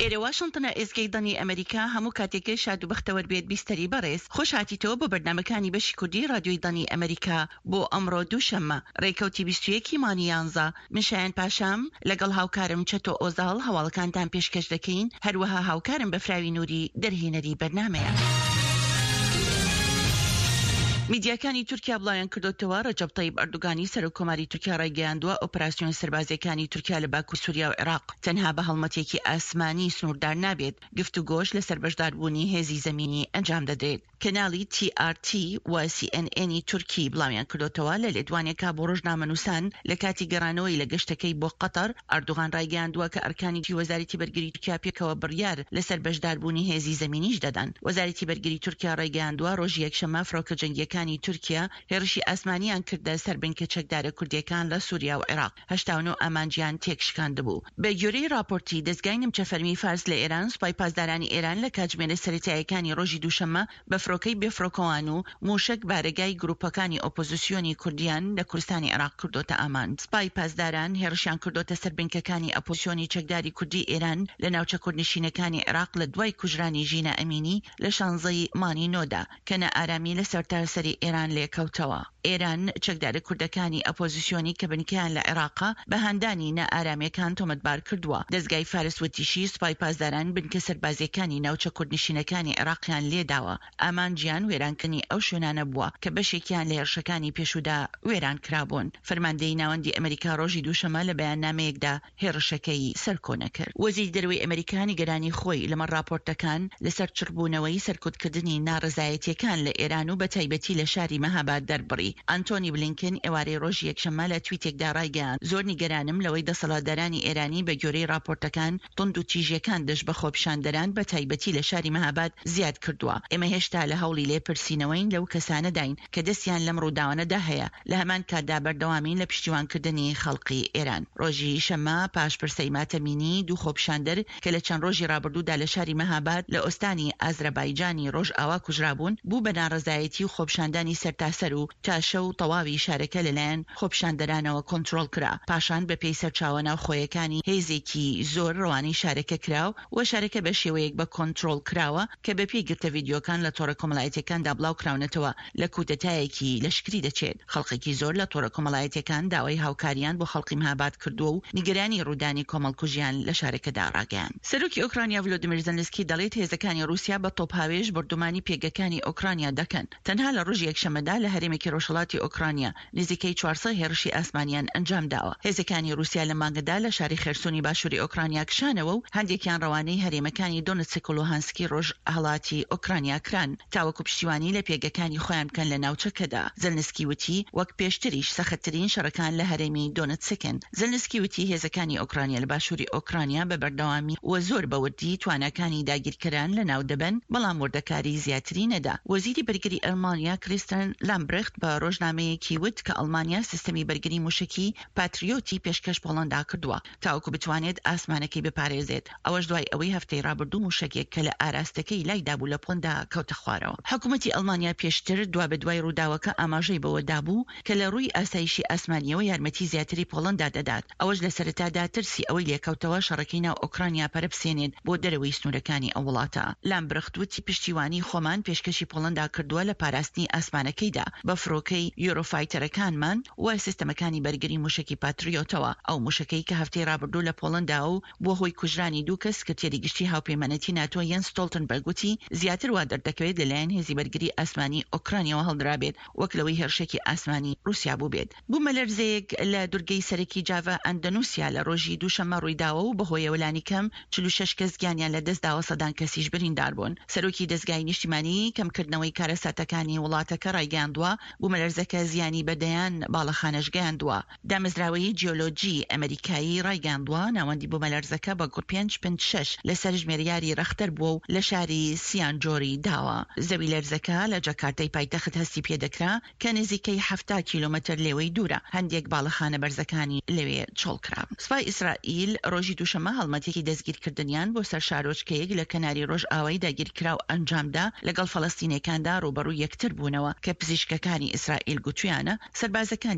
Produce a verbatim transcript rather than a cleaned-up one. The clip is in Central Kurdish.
ئێرە واشنتنە، ئێزگەی دەنگی ئەمەریکا. هەموو کاتێکت شاد و بەختەوەر بێت بیستەری بەڕێز. خۆش هاتیتەوە بۆ بەرنامەکانی بەشی کوردی ڕادیۆی دەنگی ئەمەریکا بۆ ئەمڕۆ دووشەممە ڕێکەوتی بیست و یەک ی مانگی یانزە. من شایان پاشام لەگەڵ هاوکارم چەتۆ ئۆزاڵ هەواڵەکانتان پێشکەش دەکەین، هەروەها هاوکارم بەفراوی نوری دەرهێنەری بەرنامەیە. میدیاکانی تورکیا بڵاویان کردۆتەوە، ڕەجەب تەیب ئەردۆگانی سەرۆک کۆماری تورکیا ڕایگەیاندووە، ئۆپەراسیۆنە سەربازییەکانی تورکیا لە باکوور سوریا و عێراق تەنها بە هەڵمەتێکی ئاسمانی سنووردار نابێت، گفتوگۆش لەسەر بەشداربوونی هێزی زەمینی ئەنجام دەدرێت. کەناڵی تی ئاڕ تی و سی ئێن ئێنی تورکی بڵاویان کردۆتەوە، لە لێدوانێکا بۆ ڕۆژنامەنووسان لە کاتی گەڕانەوەی لە گەشتەکەی بۆ قەتەر، ئەردۆغان ڕایگەیاندووە کە ئەرکانی وەزارەتی بەرگری تورکیا پێکەوە بڕیار لەسەر بەشداربوونی هێزی زەمینیش دەدەن. وەزارەتی بەرگری تورکیا ڕایگەیاندووە، ڕۆژی یەکشەممە فڕۆکە جەنگییەکانی تورکیا هێڕشی ئاسمانیان کردە سەر بنکە چەکدارە کوردییەکان لە سوریا و عێراق، هەشتا و نۆ ئامانجیان تێکشکاندبوو. بەگوێرەی ڕاپۆرتی دەزگای نیمچە فەرمی فارس لە ئێران، سوپای پاسدارانی ئێران لە کاتژمێرە سەرەتاییەکانی ڕۆژی دووشەممە بە فرۆکەی بێفڕۆکەوان و مووشەک بارەگای گرووپەکانی ئۆپۆزسیۆنی کوردیان لە کوردستانی عێراق کردۆتە ئامانج. سپای پاسداران هێڕشیان کردۆتە سەر بنکەکانی ئەپۆزسیۆنی چەکداری کوردی ئێران لە ناوچە کوردنشینەکانی عێراق لە دوای کوژرانی ژینا ئەمینی لە شانزەی مانگی نۆدا کە نائارامی لە سەرتاسەری ئێران لێکەوتەوە. ئێران چەکدارە کوردەکانی ئەپۆزسیۆنی کە بنکەیان لە عێراقە بە هاندانی نائارامییەکان تۆمەتبار کردووە. دەزگای فارس وتیشی، سوپای پاسداران بنکە سەربازییەکانی ناوچە کوردنشینەکانی عێراقیان لێداوە، ئامانجیان وێرانکردنی ئەو شوێنانە بووە کە بەشێکیان لە هێرشەکانی پێشوودا وێران کرابوون. فەرماندەیی ناوەندی ئەمریکا ڕۆژی دووشەممە لە بەیاننامەیەکدا هێڕشەکەی سەرکۆنە کرد. وەزیری دەرەوەی ئەمریکا نیگەرانی خۆی لەمەڕ ڕاپۆرتەکان لەسەر چڕبوونەوەی سەرکوتکردنی ناڕەزایەتییەکان لە ئێران و بەتایبەتی لە شاری مەهاباد دەربڕی. ئانتۆنی بلینکن ئێوارەی ڕۆژی یەکشەممە لە تویتێکدا ڕایگەیاند، زۆر نیگەرانم لەوەی دەسەڵاتدارانی ئێرانی بەگوێرەی ڕاپۆرتەکان توندوتیژییەکان دژ بە خۆپیشاندەران بەتایبەتی لە شاری مەهاباد زیاد کردووە. ئێمە هێشتا لە هەوڵی لێپرسینەوەین لەو کەسانەداین کە دەستیان لەم ڕووداوانەدا هەیە، لە هەمان کاتدا بەردەوامین لە پشتیوانکردنی خەڵقی ئێران. ڕۆژی شەممە پاش پرسەی ماتەمینی دوو خۆپیشاندەر کە لە چەند ڕۆژی ڕابردوودا لە شاری مەهاباد لە ئۆستانی ئازرەبایجانی ڕۆژئاوا کوژرابوون، بوو بە ناڕەزایەتی و خۆپیشاندانی سەرتاسەر و تا شەو تەواوی شارەکە لەلایەن خۆپیشاندەرانەوە کۆنترۆڵ کرا. پاشان بەپێی سەرچاوە ناوخۆیەکانی هێزێکی زۆر ڕەوانەی شارەکە کرا و شارەکە بە شێوەیەک بە کۆنترۆڵ کراوە کە بەپێی گرتە ڤیدیۆکان لە تۆڕە کۆمەڵایەتیەکاندا بڵاوکراونەتەوە لە کودەتایەکی لەشکری دەچێت. خەڵقێکی زۆر لە تۆڕە کۆمەڵایەتیەکان داوای هاوکاریان بۆ خەڵقی مهاباد کردووە و نیگەرانی ڕوودانی کۆمەڵکوژیان لە شارەکەدا ڕاگەیاند. سەرۆکی ئۆکرانیا ڤلۆدیمیر زێلنسکی دەڵێت هێزەکانی ڕووسیا بە تۆپهاوێژ بۆردومانی پێگەکانی ئۆکرانیا دەکەن. تەنها لە ڕۆژی یەکشەممەدا لە هەرێمێکی ڕۆژهەڵاتی ئۆکرانیا نزیکەی چوار سەد هێڕشی ئاسمانیان ئەنجامداوە. هێزەکانی ڕووسیا لەم مانگەدا لە شاری خێرسۆنی باشووری ئۆکرانیا کشانەوە و هەندێکیان ڕەوانەی هەرێمەکانی دۆنتسک و لوهانسکی ڕۆژهەڵاتی ئۆکرانیا کران تاوەکو پشتیوانی لە پێگەکانی خۆیان بکەن لە ناوچەکەدا. زێلنسکی وتی، وەک پێشتریش سەختترین شەڕەکان لە هەرێمی دۆنتسکن. زێلنسکی وتی، هێزەکانی ئۆکرانیا لە باشووری ئۆکرانیا بە بەردەوامی و زۆر بە وردی تواناکانی داگیرکەران لەناو دەبەن، بەڵام وردەکاری زیاتری نەدا. وەزیری بەرگری ئەڵمانیا کریستن لامبرخت بە ڕۆژنامەیەکی وت کە ئەڵمانیا سیستەمی بەرگری موشەکی پاتریۆتی پێشکەش پۆڵەندا کردووە تاوەکو بتوانێت ئاسمانەکەی بپارێزێت، ئەوەش دوای ئەوەی هەفتەی ڕابردوو موشەکێک کە لە ئاراستەکەی لایدابوو لە پۆڵەندا کەوتە خوارەوە. حکومەتی ئەڵمانیا پێشتر دوابەدوای ڕووداوەکە ئاماژەی بەوە دابوو کە لە ڕووی ئاسایشی ئاسمانییەوە یارمەتی زیاتری پۆڵەندا دەدات، ئەوەش لە سەرەتادا ترسی ئەوەی لێکەوتەوە شەڕەکەی ناو ئۆکرانیا پەرە بسێنێت بۆ دەرەوەی سنوورەکانی ئەو وڵاتە. لامبرخت وتی پشتیوانی خۆمان پێشکەشی پۆڵەندا کردووە لە پاراستنی ئاسمانەکەیدا بە فڕۆکەی یۆرۆفایتەرەکانمان و سیستەمەکانی بەرگری موشەکی پاتریۆتەوە، ئەو موشەکەی کە هەفتەی ڕابردوو لە پۆڵەندا و بووە هۆی کوژرانی دوو کەس، سکرتێری گشتی هاوپەیمانێتی ناتۆ یەنس ستۆڵتنبەرگ وتی زیاتر وا دەردەکەوێت لەلایەن هێزی بەرگری ئاسمانی ئۆکرانیاوە هەڵدرابێت وەک لەوەی هێرشێکی ئاسمانی ڕووسیا بووبێت. بوومەلەرزەیەک لە دورگەی سەرەکی جاڤا ئەندەنوسیا لە ڕۆژی دووشەممە ڕوویداوە و بەهۆیەوە لانیکەم چل و شەش کەس گیانیان لەدەستداوە سەدان کەسیش بریندار بوون. سەرۆکی دەزگای نیشتیمانیی کەمکردنەوەی کارەساتەکانی وڵاتەکە ڕایگەیاندووە، بوومەلەرزەکە زیانی بە دەیان باڵەخانەش گەیاندووە. دامەزراوەی جیۆلۆجیی ئەمەریکایی ڕایگەیاندووە، ناوەندی بوومەلەرزەکە بە گوڕ پێنج پنت شەش لەسەر ژمێریاری ڕەختەر بووە و لە شاری سیانجۆری داوە. زەویلەرزەکە لە جاکارتای پایتەخت هەستی پێدەکرا کە نزیکەی حەفتا کیلۆمەتر لێوەی دوورە، هەندێک باڵەخانە بەرزەکانی لەوێ چۆڵکرا. سوپای ئیسرائیل ڕۆژی دووشەممە هەڵمەتێکی دەستگیرکردنیان بۆ سەر شارۆچکەیەک لە کەناری ڕۆژئاوای داگیرکراو ئەنجامدا، لەگەڵ فەلەستینیەکاندا ڕووبەڕووی یەکتر بوونەوە کە پزیشکەکانی ئیسرائیل گوتویانە سەربازەکانیان